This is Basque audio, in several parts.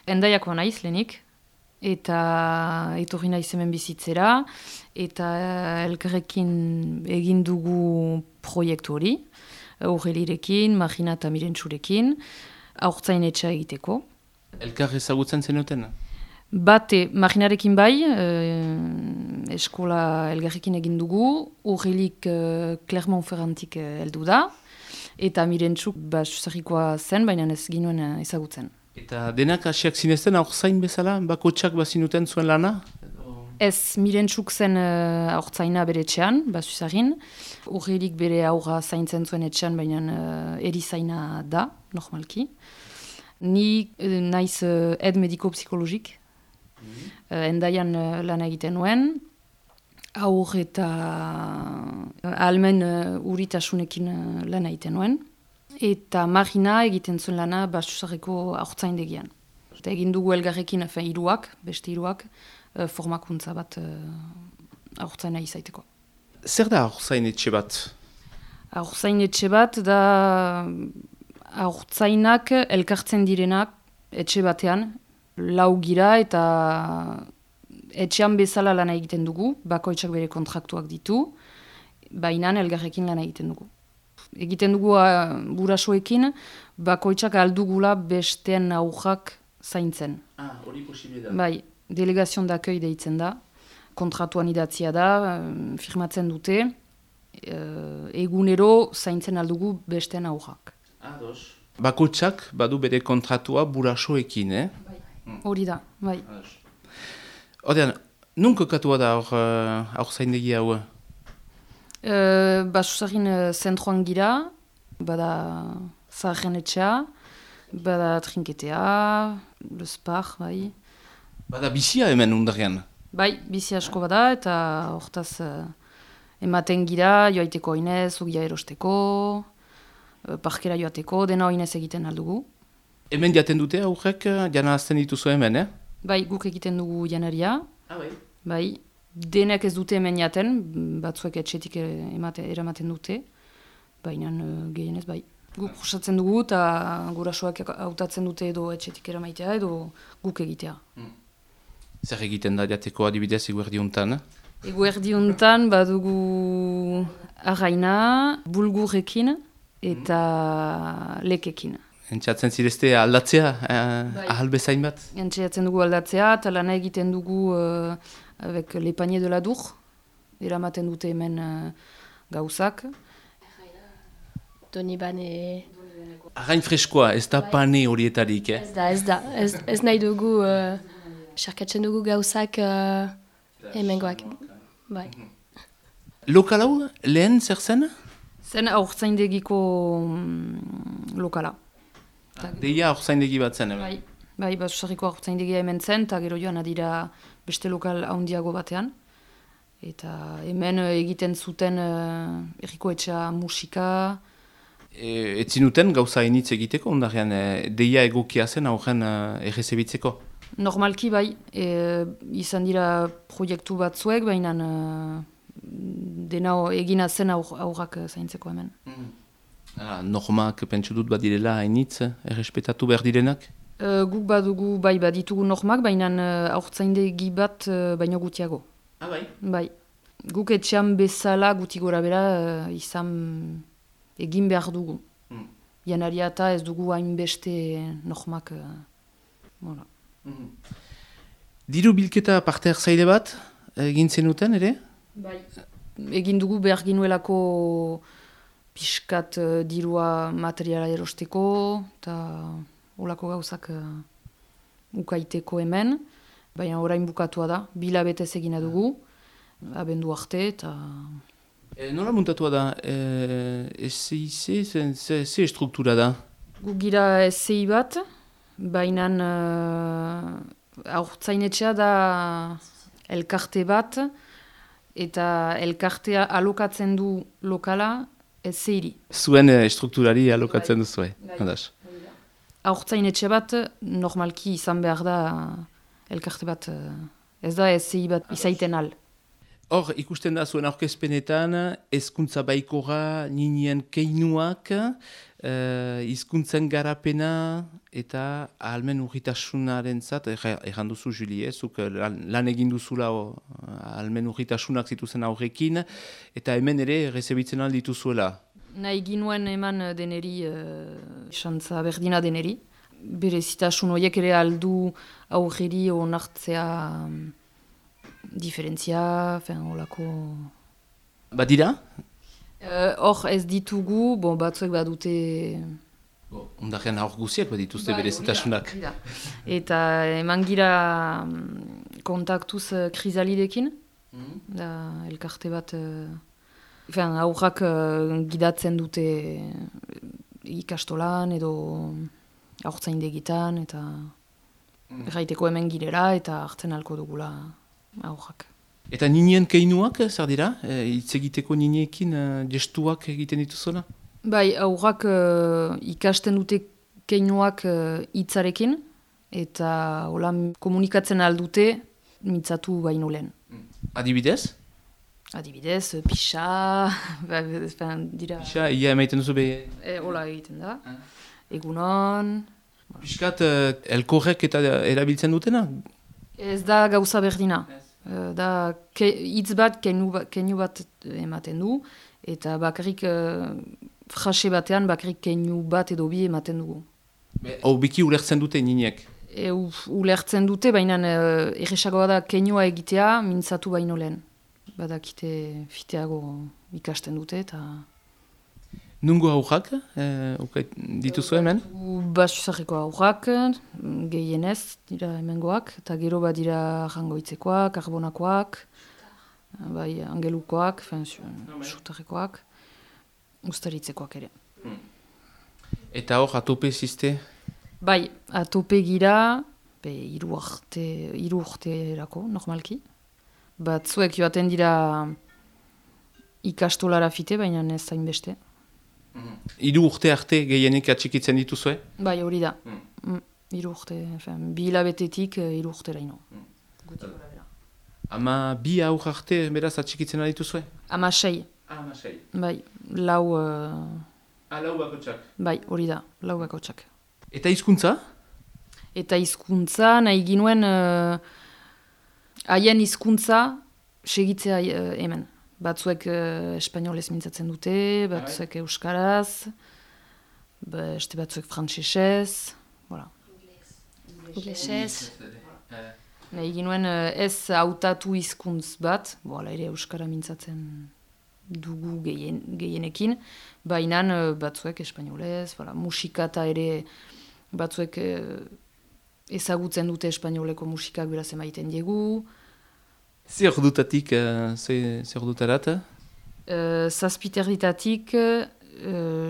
Endaiakoa naiz lehenik, eta etorri naiz hemen bizitzera, eta elkarrekin egin dugu proiektu hori, Aurelirekin, Magina eta Mirentxurekin, haurtzain etxea egiteko. Elkar ezagutzen zenuten? Bate, Maginarekin bai, eskola elgarrekin egin dugu, Aurelik Clermont-Ferrantik heldu da, eta Mirentxuk susarrikoa zen, baina ez ginuen ezagutzen. Eta denak hasiak zinezten haurtzain bezala, bakotsak bazinuten zuen lana? Ez, Mirentxuk zen haurtzaina bere etxean, susarrin. Aurelik bere aurra zaintzen zuen etxean, baina erizaina da, normalki. Ni naiz ed mediko-psikologik, endaian lan egiten nuen, aur eta ahalmen uritasunekin lan egiten nuen, eta Magina egiten zuen lana Basusarreko haurtzaindegian. Eta egin dugu elgarrekin beste hiruak, formakuntza bat haurtzaina izaiteko. Zer da haurtzain etxe bat? Haurtzain etxe bat da haurtzainak elkartzen direnak etxe batean, lau gira eta etxean bezala lana egiten dugu, bakoitzak bere kontraktuak ditu, baina elgarrekin lana egiten dugu. Egiten dugu burasoekin, bakoitzak aldugula besteen aurrak zaintzen. Hori posible da. Bai, delegazion d'accueil deitzen da, kontratuan idatzia da, firmatzen dute, egunero zaintzen aldugu besteen aurrak. Bakoitzak badu bere kontratua burasoekin, Hori da, bai. Odean, nun kokatua da haurtzaindegi hau? Basusarrin zentroan gira, bada zaharren etxea, bada trinketea, lespar, bai. Bada bizia hemen undarrean? Bai, bizi asko bada, eta hortaz ematen gira, joaiteko oinez, ugia erosteko, parkera joateko, dena oinez egiten aldugu. Hemen jaten dute aurrek, jana azten dituzu hemen, Bai, guk egiten dugu janaria. Bai. Bai, denek ez dute hemen jaten, batzuek etxetik eramaten dute, baina gehienez bai. Guk prosatzen dugu eta gurasoak hautatzen dute edo etxetik eramaitea edo guk egitea. Zer egiten da jateko adibidez eguerdi hontan? Eguerdi hontan badugu arraina, bulgurekin eta lekekin. Entxatzen zirezte aldatzea, ahal bezain bat? Entxatzen dugu aldatzea eta lana egiten dugu avec les paniers de la Dour, eramaten dute hemen gauzak. Doni bane... Arrain freskoa, ez da pane horietarik, Ez da. Ez nahi dugu, sarkatzen dugu gauzak hemengoak. Bai. Lokal hau, lehen zer zen? Zen haurtzaindegiko lokala. Deia haurtzaindegi bat zen, Bai, Basusarriko haurtzaindegia hemen zen, eta gero joan adira beste lokal handiago batean. Eta hemen egiten zuten erriko etxea musika. Etzinuten gauza initz egiteko, ondarean deia egokia zen aurren errezebitzeko? Normalki bai, izan dira proiektu batzuek, baina dena egina zen aurrak zaintzeko hemen. Normak pentsu dut badirela hainitz, errespetatu behar direnak? Guk badugu, bai, baditugu normak, baina haurtzaindegi bat baino gutiago. Bai? Bai. Guk etxean bezala guti gora bera izan egin behar dugu. Janaria eta ez dugu hainbeste normak. Diru bilketa parte hartzaile bat egin zenuten, ere? Bai. Egin dugu behar ginuelako pixkat dirua materiala erosteko, eta olako gauzak ukaiteko hemen, baina orain bukatua da, bilabetez egina dugu, abendu arte, eta... Nola muntatua da? SIC, ze struktura da? Gu gira SI bat, baina haurtzainetxea da elkarte bat, eta elkartea alokatzen du lokala SI-ri. Zuen strukturari alokatzen duzu, hadas. Haurtzainetxe bat, normalki izan behar da elkarte bat, ez da SI bat izaiten al. Hor, ikusten da zuen aurkezpenetan, hezkuntza baikora, ninien keinuak, hizkuntzen garapena eta ahalmen urritasunaren zat, erran duzu, Julie, zuk lan egin duzula ahalmen urritasunak zituzen aurrekin, eta hemen ere rezebitzen aldituzuela. Nahi ginuen eman deneri, xantza berdina deneri. Berezitasun horiek ere aldu aurreri onartzea diferentzia, olako... Badira? Hor ez ditugu, batzuek badute... Ondarean aur guziak badituzte berezitasunak. Eta eman gira kontaktuz krizalidekin, da elkarte bat... aurrak gidatzen dute ikastolan edo aurtzaindegitan, eta erraiteko hemen girela eta hartzen alko dugula aurrak. Eta ninien keinuak, zer dira? Hitz egiteko niniekin gestuak egiten dituzuna? Bai, aurrak ikasten dute keinuak hitzarekin, eta hola komunikatzen aldute mintzatu baino lehen. Adibidez? Adibidez, pixa, dira... Pixa, ia emaiten duzu behi? Hola egiten da. Egunon... Piskat, elkorrek eta erabiltzen dutena? Ez da gauza berdina. Da hitz bat, keinu bat ematen du, eta bakarrik frase batean bakarrik keinu bat edo bi ematen dugu. Hau biki ulertzen dute niniek? Ulertzen dute, baina erresagoa da keinua egitea mintzatu baino lehen. Badakite fiteago ikasten dute eta... Nungo aurrak dituzu hemen? Basuzarreko aurrak, gehienez dira hemengoak, eta gero badira jangoitzekoak, karbonakoak, bai angelukoak, sutarrekoak, ustaritzekoak ere. Eta hor, atope ziste? Bai, atope gira, hiru urterako, normalki. Batzuek joaten dira ikastolara fite, baina ez zain beste. Hiru urte arte gehienek atxikitzen dituzue? Bai, hori da. Hiru urte, bi hilabetetik hiru urteraino. Ama bi aur arte beraz atxikitzen dituzue? Ama 6. Ama 6. Bai, lau... Lau bakotxak? Bai, hori da, lau bakotxak. Eta hizkuntza? Eta hizkuntza nahi ginuen haien hizkuntza segitzea hemen. Batzuek espainolez mintzatzen dute, batzuek euskaraz, beste batzuek frantsesez, voilà. Inglesez. Nahi ginuen ez hautatu hizkuntz bat, ere euskara mintzatzen dugu gehienekin, baina batzuek espainolez, musikata ere batzuek ezagutzen dute espainoleko musikak beraz emaiten diegu. Zer dutatik, zer dutarat? Zazpiterditatik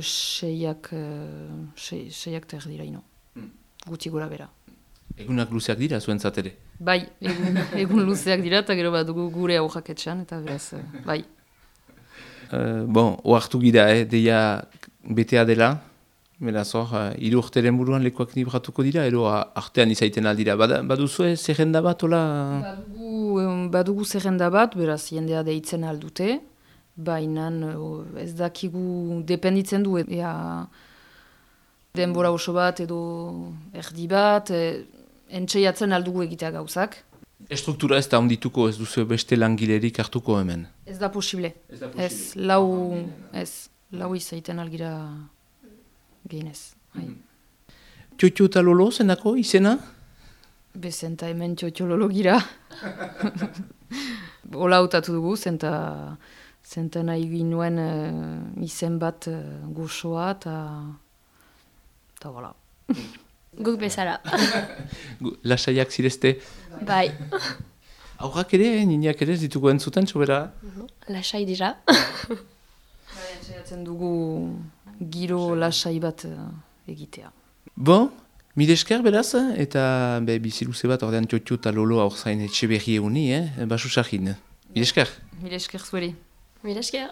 seiak terdiraino. Guti gora bera. Egunak luzeak dira zuen zatere? Bai, egun luzeak dira eta gero bat dugu gure aurrak etxan, eta beraz, bai. Oartu gira, deia betea dela. Beraz hor, hiru urteren buruan lekuak libratuko dira, edo artean izaiten aldira. Baduzue zerrenda bat, ola? Badugu zerrenda bat, beraz jendea deitzen aldute, baina ez dakigu dependitzen du, denbora oso bat edo erdi bat, entxeiatzen aldugu egitea gauzak. Estruktura ez da ondituko, ez duzu beste langilerik hartuko hemen? Ez da posible. Lau izaiten algira gehinez. Txotxo eta lolo zenako izena? Bezenta hemen txotxo lolo gira. Ola hautatu dugu, zenta nahi ginuen izen bat gozoa eta voilà. Guk bezala. Lasaiak zirezte? Bai. Aurrak ere, nineak ere, ditugu entzuten, sobera? Lasai dira. Entzaiatzen dugu giro lasai bat egitea. Mil esker beraz, eta biziluze bat ordean txotxo eta lolo aurzain etxe berri eguni, basu sarkin. Mil esker? Mil esker zueri. Mil esker.